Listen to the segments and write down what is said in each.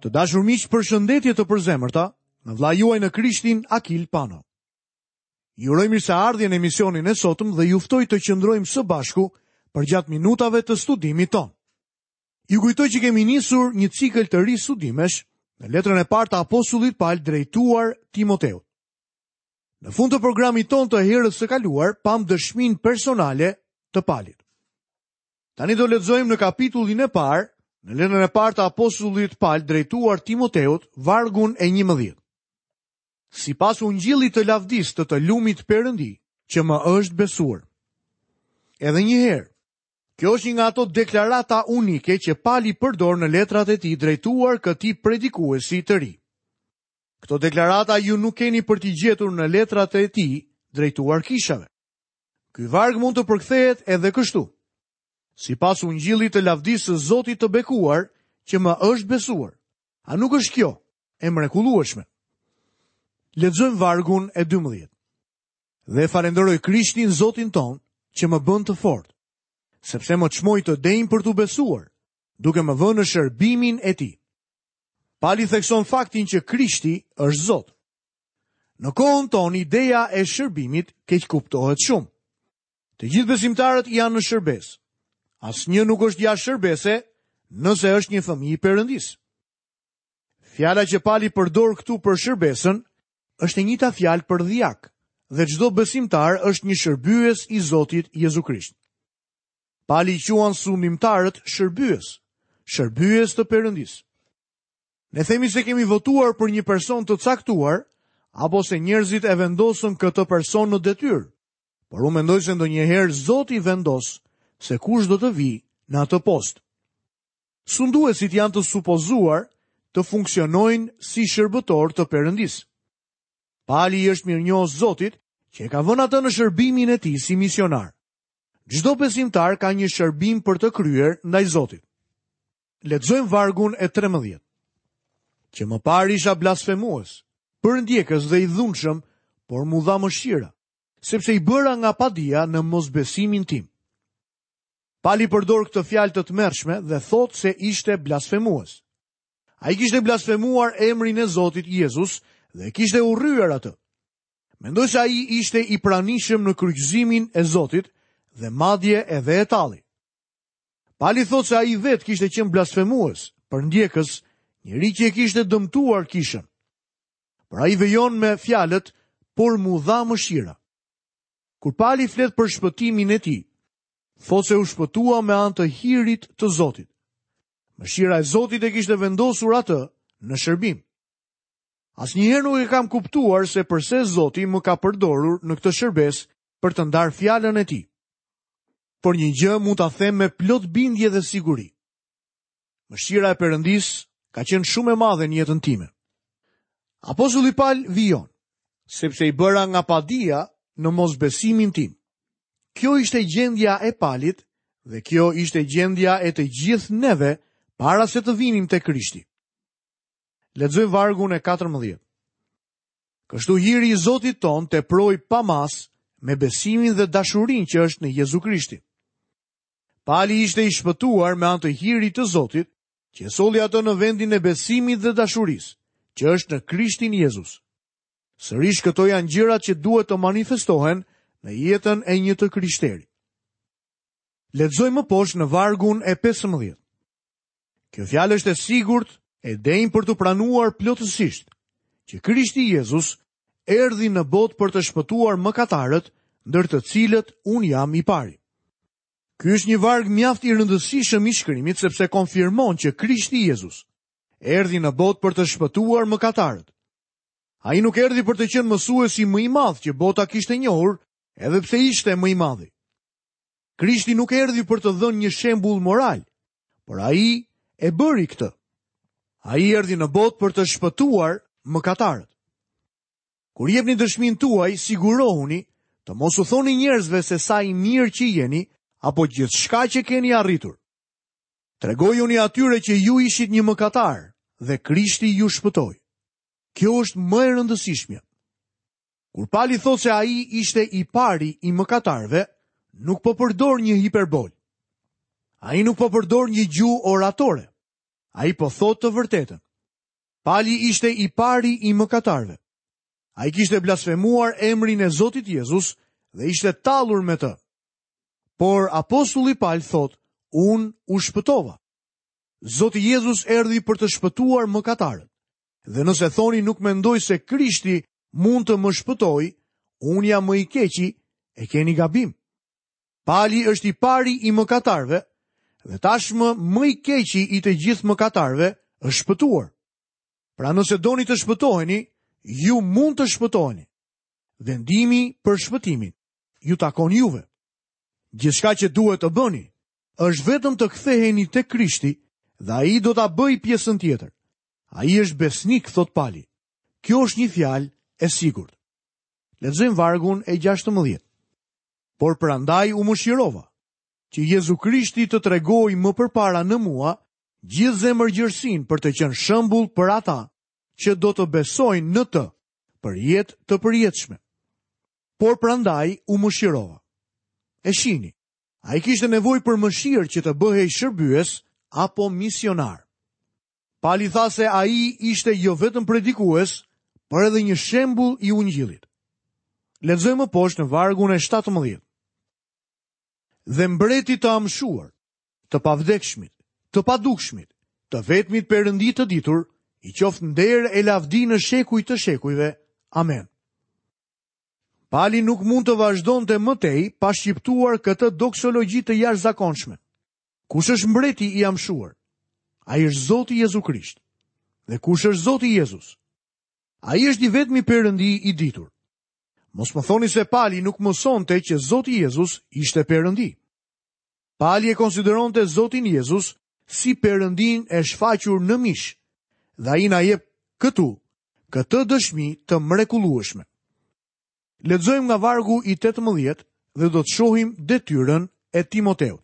Të dashur miq, përshëndetje të përzemërta nga vëllai juaj në Krishtin Akil Pano. Ju uroj mirëseardhje në emisionin e sotëm dhe ju ftoj të qëndrojmë së bashku përgjatë minutave të studimit tonë. Ju kujtoj që kemi nisur një cikël të ri studimesh në letrën e parë të apostullit Pal drejtuar Timoteut. Në fund të programit tonë të herës së kaluar, pamë dëshminë personale të Palit. Tani do lexojmë në kapitullin e parë, në letrën e parë të apostullit Pal drejtuar Timoteut, vargun e 11. Sipas ungjillit të lavdisë të të lumit Perëndi, që më është besuar. Edhe një herë, kjo është një nga ato deklarata unike që Pali përdor në letrat e tij drejtuar këtij predikuesi të ri. Këto deklarata ju nuk keni për t'i gjetur në letrat e tij drejtuar kishave. Ky varg mund të përkthehet edhe kështu. Sipas ungjillit të lavdisë së Zotit të bekuar që më është besuar. A nuk është kjo e mrekullueshme? Lexojmë vargun e 12. Dhe falënderoj Krishtin Zotin tonë që më bën të fortë, sepse më çmoi të denjë për t'u besuar, duke më vënë në shërbimin e tij. Pali thekson faktin që Krishti është Zot. Në kohën tonë ideja e shërbimit keqkuptohet shumë. Të gjithë besimtarët janë në shërbesë. Asnjë nuk është jashtë shërbese nëse është një fëmijë i Perëndisë. Fjala që Pali përdor këtu për shërbesën është e njëjta fjalë për dhjak dhe çdo besimtar është një shërbyes i Zotit Jezu Krisht. Pali i quan sundimtarët shërbyes, shërbyes të Perëndisë. Ne themi se kemi votuar për një person të caktuar, apo se njerëzit e vendosën këtë person në detyrë. Por unë mendoj se ndonjëherë Zoti vendos se kush do të vijë në atë post. Sunduesit janë të supozuar të funksionojnë si shërbëtorë të Perëndisë. Pali i është mirënjohës Zotit që e ka vënë atë në shërbimin e tij si misionar. Çdo besimtar ka një shërbim për të kryer ndaj Zotit. Lexojmë vargun e 13. Që më parë isha blasfemues, përndjekës dhe i dhunshëm, por m'u dha mëshira, sepse i bëra nga padija në mosbesimin tim. Pali përdor këtë fjalë të tmerrshme dhe thotë se ishte blasfemues. Ai kishte blasfemuar emrin e Zotit Jezus dhe e kishte urryer atë. Mendoj se ai ishte i pranishëm në kryqëzimin e Zotit dhe madje edhe e talli. Pali thotë se ai vetë kishte qenë blasfemues, përndjekës, njeri që e kishte dëmtuar kishën. Por ai vijon me fjalët, por m'u dha mëshira. Kur Pali flet për shpëtimin e tij, thotë se u shpëtua me anë të hirit të Zotit. Mëshira e Zotit e kishte vendosur atë në shërbim. Asnjëherë nuk e kam kuptuar se përse Zoti më ka përdorur në këtë shërbesë për të ndarë fjalën e tij. Por një gjë mund ta them me plot bindje dhe siguri. Mëshira e Perëndisë ka qenë shumë e madhe në jetën time. Apostulli Pal vijon, sepse i bëra nga padija në mosbesimin tim. Kjo ishte gjendja e Palit dhe kjo ishte gjendja e të gjithë neve para se të vinim te Krishti. Lexojmë vargun e 14. Kështu hiri i Zotit tonë teproi pa masë me besimin dhe dashurinë që është në Jezu Krishtin. Pali ishte i shpëtuar me anë të hirit të Zotit, që e solli atë në vendin e besimit dhe dashurisë, që është në Krishtin Jezus. Sërish këto janë gjërat që duhet të manifestohen në jetën e një të krishteri. Lexojmë më poshtë në vargun e 15. Kjo fjalë është e sigurt, e denjë për t'u pranuar plotësisht, që Krishti Jezus erdhi në botë për të shpëtuar mëkatarët, ndër të cilët unë jam i pari. Ky është një varg mjaft i rëndësishëm i shkrimit sepse konfirmon që Krishti Jezus erdhi në botë për të shpëtuar mëkatarët. Ai nuk erdhi për të qenë mësuesi më i madh që bota kishte njohur, edhe pse ishte më i madhi. Krishti nuk erdhi për të dhënë një shembull moral, por ai e bëri këtë. Ai erdhi në botë për të shpëtuar mëkatarët. Kur jepni dëshminë tuaj, sigurohuni të mos u thoni njerëzve se sa i mirë që jeni apo gjithçka që keni arritur. Tregojuni atyre që ju ishit një mëkatar dhe Krishti ju shpëtoi. Kjo është më e rëndësishmja. Kur Pali thotë se ai ishte i pari i mëkatarëve, nuk po përdor një hiperbolë. Ai nuk po përdor një gjuhë oratore. Ai po thotë të vërtetën. Pali ishte i pari i mëkatarëve. Ai kishte blasfemuar emrin e Zotit Jezus dhe ishte tallur me të. Por apostulli Pal thotë, unë u shpëtova. Zoti Jezus erdhi për të shpëtuar mëkatarët. Dhe nëse thoni nuk mendoj se Krishti mund të më shpëtojë, unë jam më i keqi, e keni gabim. Pali është i pari i mëkatarëve dhe tashmë më i keqi i të gjithë mëkatarëve është shpëtuar. Pra nëse doni të shpëtoheni, ju mund të shpëtoheni. Vendimi për shpëtimin ju takon juve. Gjithçka që duhet të bëni është vetëm të ktheheni te Krishti dhe ai do ta bëjë pjesën tjetër. Ai është besnik, thotë Pali. Kjo është një fjalë e sigurt. Lexojmë vargun e 16. Por prandaj u mëshirova, që Jezu Krishti të tregojë më përpara në mua gjithë zemërgjerësinë për të qenë shembull për ata që do të besojnë në të për jetë të përjetshme. Por prandaj u mëshirova. E shihni, ai kishte nevojë për mëshirë që të bëhej shërbyes apo misionar. Pali tha se ai ishte jo vetëm predikues, por edhe një shembull i ungjillit. Lexojmë më poshtë në vargun e 17. Dhe mbretit të amshuar, të pavdekshmit, të padukshmit, të vetmit Perëndi të ditur, i qoftë nder e lavdi në shekuj të shekujve. Amen. Pali nuk mund të vazhdonte më tej pa shqiptuar këtë doksologji të jashtëzakonshme. Kush është mbreti i amshuar? Ai është Zoti Jezu Krisht. Dhe kush është Zoti Jezus? Ai është i vetmi Perëndi i ditur. Mos më thoni se Pali nuk mësonte që Zoti Jezus ishte Perëndi. Pali e konsideronte Zotin Jezus si Perëndinë e shfaqur në mish dhe ai na jep këtu këtë dëshmi të mrekullueshme. Lexojmë nga vargu i 18 dhe do të shohim detyrën e Timoteut.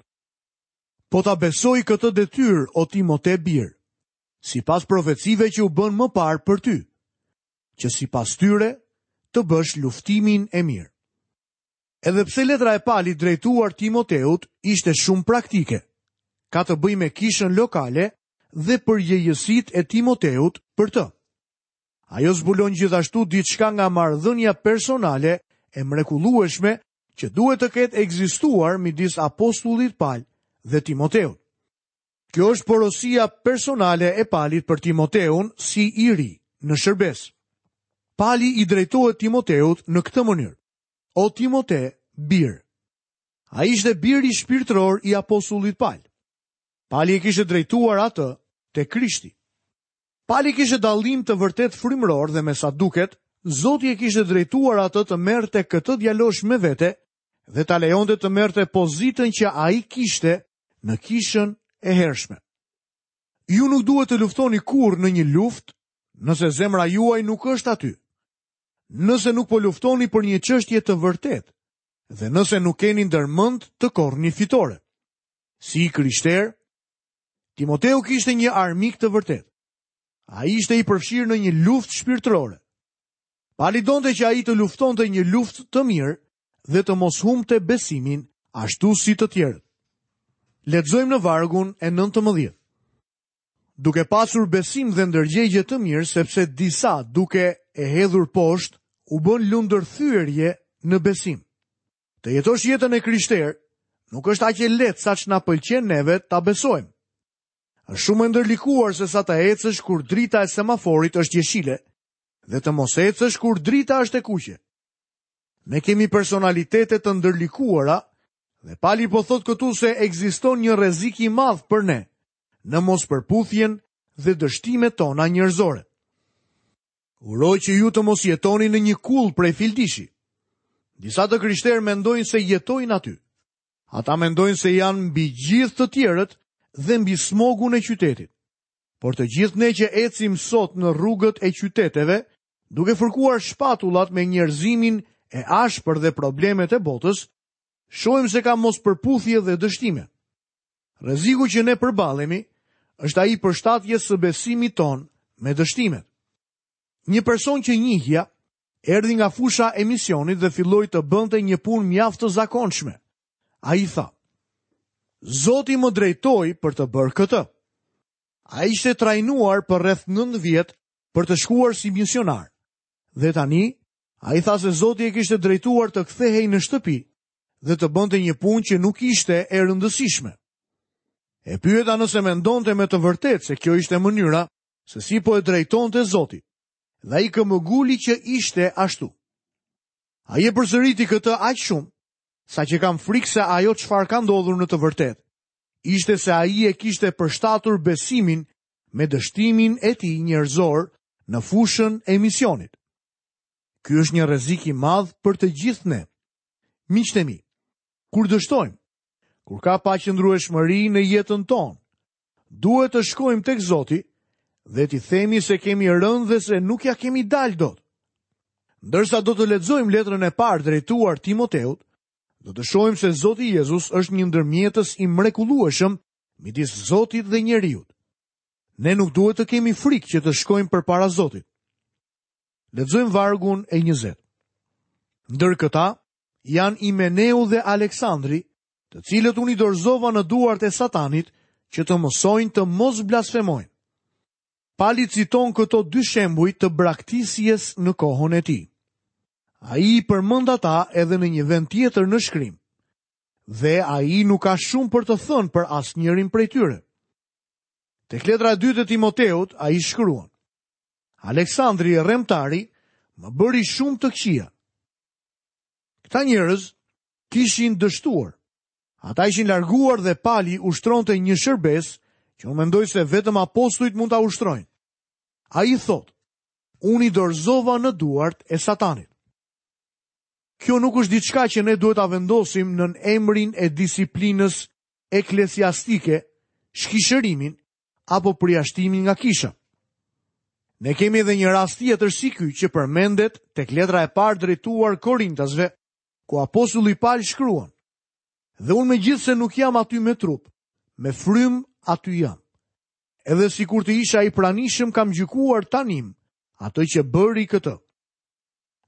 Po ta besoj këtë detyrë, o Timote bir, sipas profecive që u bënë më parë për ty, që sipas tyre të bësh luftimin e mirë. Edhe pse letra e Palit drejtuar Timoteut ishte shumë praktike, ka të bëjë me kishën lokale dhe përgjegjësitë e Timoteut për të. Ajo zbulon gjithashtu diçka nga marrëdhënia personale e mrekullueshme që duhet të ketë ekzistuar midis apostullit Pal dhe Timoteut. Kjo është porosia personale e Palit për Timoteun si i ri në shërbesë. Pali i drejtohet Timoteut në këtë mënyrë. O Timote, bir. Ai ishte biri shpirtëror i apostullit Pal. Pali e kishte drejtuar atë te Krishti. Pali kishte dallim të vërtetë frymëror dhe me sa duket, Zoti e kishte drejtuar atë të merrte këtë djalosh me vete dhe ta lejonte të merrte pozitën që ai kishte në kishën e hershme. Ju nuk duhet të luftoni kurrë në një luftë nëse zemra juaj nuk është aty. Nëse nuk po luftoni për një çështje të vërtetë dhe nëse nuk keni ndërmend të korrni fitore. Si i krishterë, Timoteu kishte një armik të vërtetë. Ai ishte i përfshirë në një luftë shpirtërore. Pali donte që ai të luftonte një luftë të mirë dhe të mos humbte besimin ashtu si të tjerët. Lexojmë në vargun e 19. Duke pasur besim dhe ndërgjegje të mirë sepse disa duke e hedhur poshtë u bënë lundërthyerje në besim. Të jetosh jetën e krishterë nuk është aq e lehtë sa ç'na pëlqen neve ta besojmë. Është shumë e ndërlikuar se sa të ecësh kur drita e semaforit është jeshile dhe të mos ecësh kur drita është e kuqe. Ne kemi personalitete të ndërlikuara dhe Pali po thotë këtu se ekziston një rrezik i madh për ne në mospërputhjen dhe dështimet tona njerëzore. Uroj që ju të mos jetoni në një kullë prej fildishi. Disa të krishterë mendojnë se jetojnë aty. Ata mendojnë se janë mbi gjithë të tjerët dhe mbi smogun e qytetit. Por të gjithë ne që ecim sot në rrugët e qyteteve, duke fërkuar shpatullat me njerëzimin e ashpër dhe problemet e botës, shohim se ka mospërputhje dhe dështime. Rreziku që ne përballemi është ai i përshtatjes së besimit tonë me dështimet. Një person që njihja erdhi nga fusha e misionit dhe filloi të bënte një punë mjaft të zakonshme. Ai tha: Zoti më drejtoi për të bërë këtë. Ai ishte trajnuar për rreth 9 vjet. për të shkuar si misionar. Dhe tani, ai tha se Zoti e kishte drejtuar të kthehej në shtëpi dhe të bënte një punë që nuk ishte e rëndësishme. E pyeta nëse mendonte me të vërtetë se kjo ishte mënyra se si po e drejtonte Zoti. Dhe ai këmbënguli që ishte ashtu. Ai e përsëriti këtë aq shumë, saqë kam frikë se ajo çfarë ka ndodhur në të vërtetë, ishte se ai e kishte përshtatur besimin me dështimin e tij njerëzor në fushën e misionit. Ky është një rrezik i madh për të gjithë ne. Miqtë e mi, kur dështojmë, kur ka paqëndrueshmëri në jetën tonë, duhet të shkojmë tek Zoti dhe t'i themi se kemi rënë dhe se nuk ia kemi dalë dot. Ndërsa do të lexojmë letrën e parë drejtuar Timoteut, do të shohim se Zoti Jezus është një ndërmjetës i mrekullueshëm midis Zotit dhe njeriut. Ne nuk duhet të kemi frikë që të shkojmë përpara Zotit. Lexojmë vargun e 20. Ndër këta janë Imeneu dhe Aleksandri, të cilët unë i dorëzova në duart e Satanit që të mësojnë të mos blasfemojnë. Pali citon këto dy shembuj të braktisjes në kohën e tij. Ai i përmend ata edhe në një vend tjetër në shkrim. Dhe ai nuk ka shumë për të thënë për asnjërin prej tyre. Tek letra e dytë e Timoteut, ai shkruan: Aleksandri rremtari më bëri shumë të këqija. Këta njerëz kishin dështuar. Ata ishin larguar dhe Pali ushtronte një shërbesë që unë mendoj se vetëm apostujt mund ta ushtrojnë. Ai thotë, unë i dorëzova në duart e satanit. Kjo nuk është diçka që ne duhet ta vendosim nën emrin e disiplinës eklesiastike, shkishërimin apo përjashtimin nga kisha. Ne kemi edhe një rast tjetër si ky që përmendet tek letra e parë drejtuar Korintasve, ku apostulli Pal shkruan: Dhe unë megjithëse nuk jam aty me trup, me frymë aty jam. Edhe sikur të isha i pranishëm kam gjykuar tanimë atë që bëri këtë.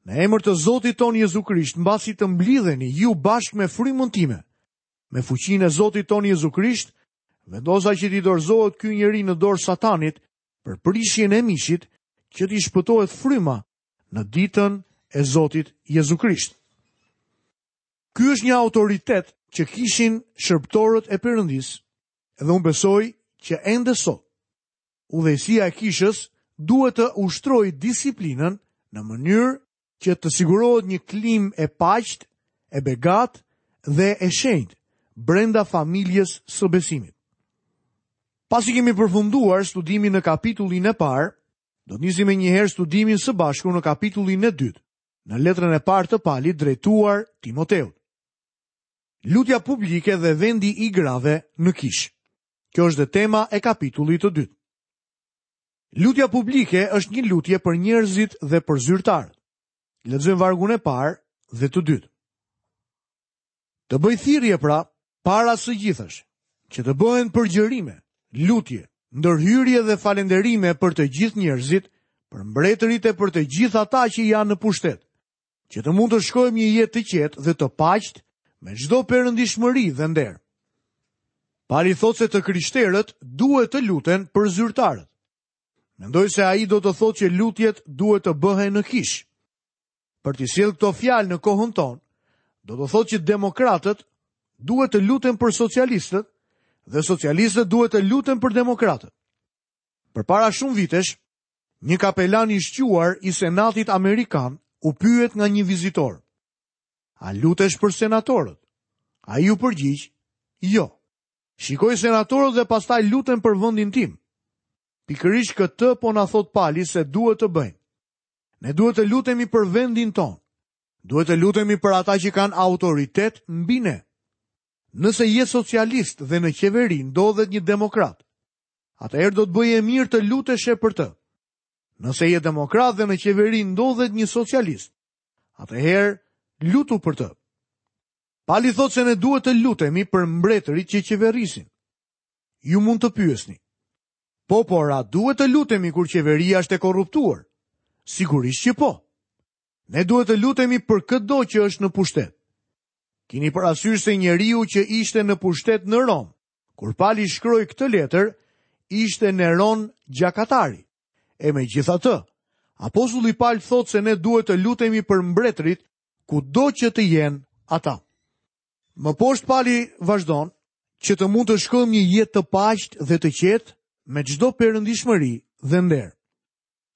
Në emër të Zotit tonë Jezu Krisht, mbasi të mblidheni ju bashkë me frymën time, me fuqinë e Zotit tonë Jezu Krisht, vendosa që t'i dorëzohet ky njeri në dorë Satanit për prishjen e mishit, që t'i shpëtohet fryma në ditën e Zotit Jezu Krisht. Ky është një autoritet që kishin shërbëtorët e Perëndisë, dhe unë besoj që ende sot udhëheqësia e kishës duhet të ushtrojë disiplinën në mënyrë që të sigurohet një klimë e paqtë, e begatë dhe e shenjtë brenda familjes së besimit. Pasi kemi përfunduar studimin në kapitullin e parë, do të nisim menjëherë studimin së bashku në kapitullin e dytë, në letrën e parë të Palit drejtuar Timoteut. Lutja publike dhe vendi i grave në kishë. Kjo është dhe tema e kapitullit të dytë. Lutja publike është një lutje për njerëzit dhe për zyrtarët. Lexojmë vargun e parë dhe të dytë. Të bëj thirrje pra, para së gjithash, që të bëhen përgjërime, lutje, ndërhyrje dhe falënderime për të gjithë njerëzit, për mbretërit e për të gjithë ata që janë në pushtet, që të mund të shkojmë një jetë të qetë dhe të paqtë me çdo perëndishmëri dhe nder. Pali thotë se të krishterët duhet të luten për zyrtarët. Mendoj se ai do të thotë që lutjet duhet të bëhen në kishë. Për t'i sjellë këto fjalë në kohën tonë, do të thotë që demokratët duhet të luten për socialistët dhe socialistët duhet të luten për demokratët. Përpara shumë vitesh, Një kapelan i shquar i Senatit Amerikan u pyet nga një vizitor. A lutesh për senatorët? Ai u përgjigj, jo. Shikoj senatorët dhe pastaj lutem për vendin tim. Pikërisht këtë po na thotë Pali se duhet të bëjmë. Ne duhet të lutemi për vendin tonë. Duhet të lutemi për ata që kanë autoritet mbi ne. Nëse je socialist dhe në qeveri ndodhet një demokrat, atëherë do të bëje mirë të luteshe për të. Nëse je demokrat dhe në qeveri ndodhet një socialist, atëherë lutu për të. Pali thotë se ne duhet të lutemi për mbretërit që qeverisin. Ju mund të pyesni. Po, por a duhet të lutemi kur qeveria është e korruptuar? Sigurisht që po. Ne duhet të lutemi për këdo që është në pushtet. Kini parasysh se njeriu që ishte në pushtet në Romë, Kur Pali shkroi këtë letër, ishte Neron gjakatari. E megjithatë, apostulli Pal thotë se ne duhet të lutemi për mbretërit kudo që të jenë ata. Më poshtë Pali vazhdon që të mund të shkojmë një jetë të paqtë dhe të qetë me çdo perëndishmëri dhe nder.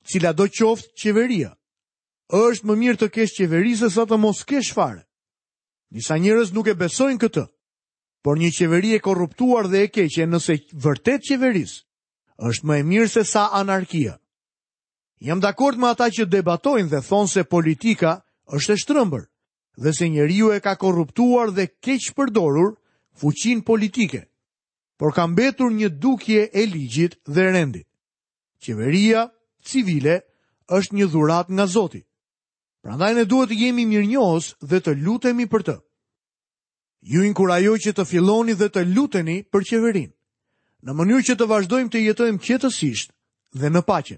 Cilado qoftë qeveria, është më mirë të kesh qeveri sesa të mos kesh fare. Disa njerëz nuk e besojnë këtë, por një qeveri e korruptuar dhe e keqe nëse vërtet qeveris, është më e mirë sesa anarkia. Jam dakord me ata që debatojnë dhe thonë se politika është e shtrembër dhe se njeriu e ka korruptuar dhe keqpërdorur fuqinë politike, por ka mbetur një dukje e ligjit dhe rendit. Qeveria civile është një dhuratë nga Zoti. Prandaj ne duhet të jemi mirënjohës dhe të lutemi për të. Ju inkurajoj që të filloni dhe të luteni për qeverinë, në mënyrë që të vazhdojmë të jetojmë qetësisht dhe në paqe.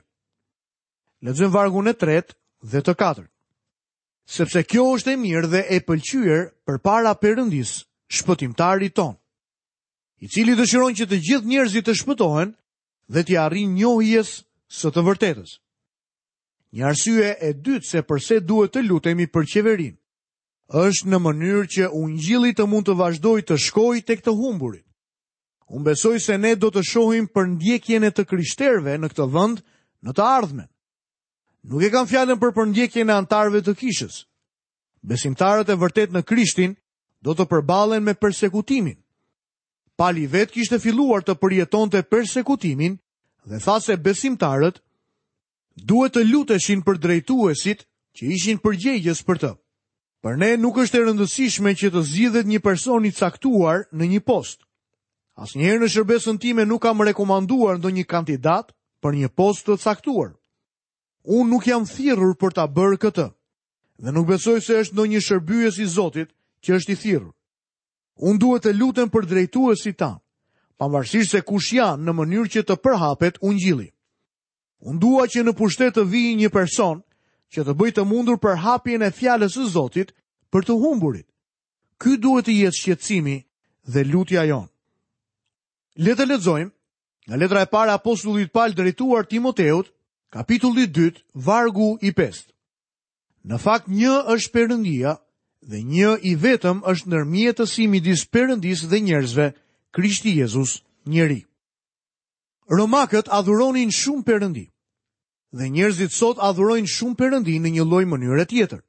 Lexojmë vargun e tretë dhe të katërt. Sepse kjo është e mirë dhe e pëlqyer përpara Perëndisë, shpëtimtarit tonë, i cili dëshiron që të gjithë njerëzit të shpëtohen dhe t'i arrijnë njohjes së të vërtetës. Një arsye e dytë se përse duhet të lutemi për qeverinë, është në mënyrë që ungjilli të mund të vazhdojë të shkojë tek të humburit. Unë besoj se ne do të shohim përndjekjen e të krishterëve në këtë vend në të ardhmen. Nuk e kam fjalën për përndjekjen e anëtarëve të kishës. Besimtarët e vërtetë në Krishtin do të përballen me persekutimin. Pali vetë kishte filluar të përjetonte persekutimin dhe tha se besimtarët Duhet të luteshin për drejtuesit që ishin përgjegjës për të. Për ne nuk është e rëndësishme që të zgjidhet një person i caktuar në një post. Asnjëherë në shërbesën time nuk kam rekomanduar ndonjë kandidat për një post të caktuar. Unë nuk jam thirrur për ta bërë këtë. Dhe nuk besoj se është ndonjë shërbyes i Zotit që është i thirrur. Unë duhet të lutem për drejtuesit tanë, pavarësisht se kush janë në mënyrë që të përhapet ungjilli. Unë dua që në pushtet të vijë një person që të bëjë të mundur përhapjen e fjalës së Zotit për të humburit. Ky duhet të jetë shqetësimi dhe lutja jonë. Le të lexojmë nga letra e parë e apostullit Pal drejtuar Timoteut, kapitulli 2, vargu i 5. Në fakt një është Perëndia dhe një i vetëm është ndërmjetësi midis Perëndisë dhe njerëzve, Krishti Jezus, njeri. Romakët adhuronin shumë perëndi. Dhe njerëzit sot adhurojnë shumë perëndi në një lloj mënyre tjetër.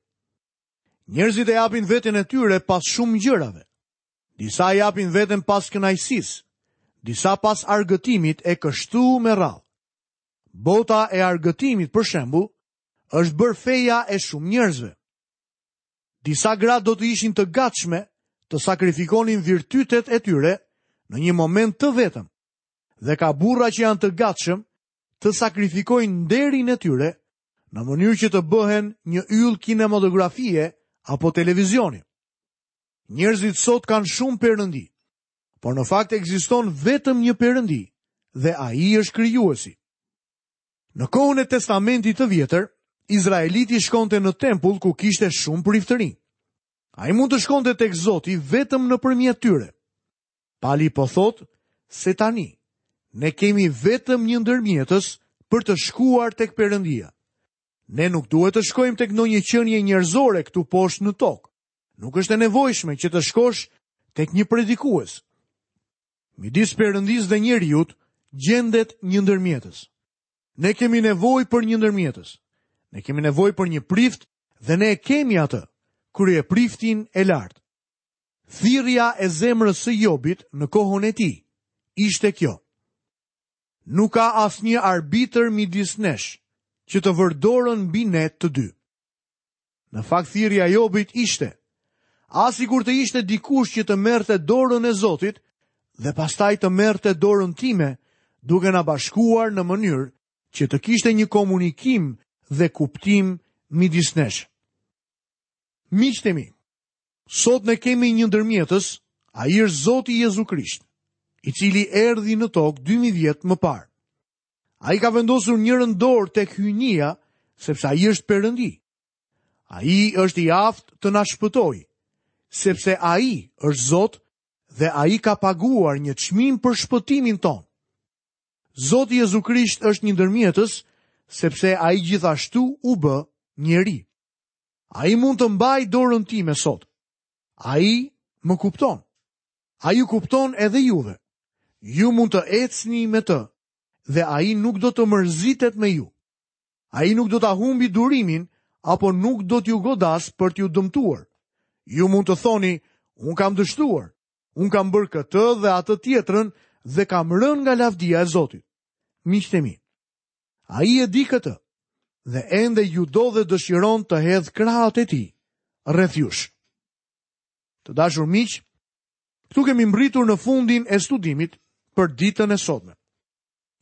Njerëzit e japin veten e tyre pas shumë gjërave. Disa e japin veten pas kënaqësisë, disa pas argëtimit e kështu me radhë. Bota e argëtimit, për shembull, është bërë feja e shumë njerëzve. Disa gra do të ishin të gatshme të sakrifikonin virtytet e tyre në një moment të vetëm. Dhe ka burra që janë të gatshëm të sakrifikojnë nderin e tyre në mënyrë që të bëhen një yll kinematografie apo televizioni. Njerëzit sot kanë shumë perëndi, por në fakt ekziston vetëm një perëndi dhe ai është krijuesi. Në kohën e Testamentit të Vjetër, izraeliti shkonte në tempull ku kishte shumë priftërinj. Ai mund të shkonte tek Zoti vetëm nëpërmjet tyre. Pali po thotë se tani ne kemi vetëm një ndërmjetës për të shkuar tek Perëndia. Ne nuk duhet të shkojmë tek ndonjë qenie njerëzore këtu poshtë në tokë. Nuk është e nevojshme që të shkosh tek një predikues. Midis Perëndisë dhe njeriut gjendet një ndërmjetës. Ne kemi nevojë për një ndërmjetës. Ne kemi nevojë për një prift dhe ne e kemi atë, kryepriftin e lartë. Thirrja e zemrës së Jobit në kohën e tij ishte kjo. Nuk ka asnjë arbitër midis nesh që të vërë dorën mbi ne të dy. Në fakt thirrja e Jobit ishte, ah sikur të ishte dikush që të merrte dorën e Zotit dhe pastaj të merrte dorën time, duke na bashkuar në mënyrë që të kishte një komunikim dhe kuptim midis nesh. Miqtë e mi, Sot ne kemi një ndërmjetës, ai është Zoti Jezu Krisht, i cili erdhi në tokë 2000 vjet më parë. Ai ka vendosur njërën dorë tek hyjnia, sepse ai është Perëndi. Ai është i aftë të na shpëtojë, sepse ai është Zot dhe ai ka paguar një çmim për shpëtimin tonë. Zoti Jezu Krisht është një ndërmjetës, sepse ai gjithashtu u bë njeri. Ai mund të mbajë dorën time sot. Ai më kupton. Ai ju kupton edhe juve. Ju mund të ecni me të dhe ai nuk do të mërzitet me ju. Ai nuk do ta humbi durimin apo nuk do t'ju godasë për t'ju dëmtuar. Ju mund të thoni, unë kam dështuar, unë kam bërë këtë dhe atë tjetrën dhe kam rënë nga lavdia e Zotit. Miqtë e mi, ai e di këtë dhe ende ju do dhe dëshiron të hedhë krahët e tij rreth jush. Të dashur miq, këtu kemi mbërritur në fundin e studimit për ditën e sotme.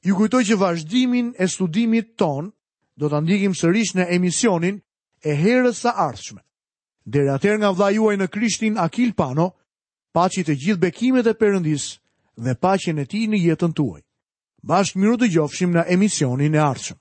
Ju kujtoj që vazhdimin e studimit tonë do ta ndjekim sërish në emisionin e herës së ardhshme. Deri atëherë nga vëllai juaj në Krishtin Akil Pano, paçi të gjithë bekimet e Perëndisë dhe paqen e tij në jetën tuaj. Bashkë mirudëgjofshim në emisionin e ardhshëm.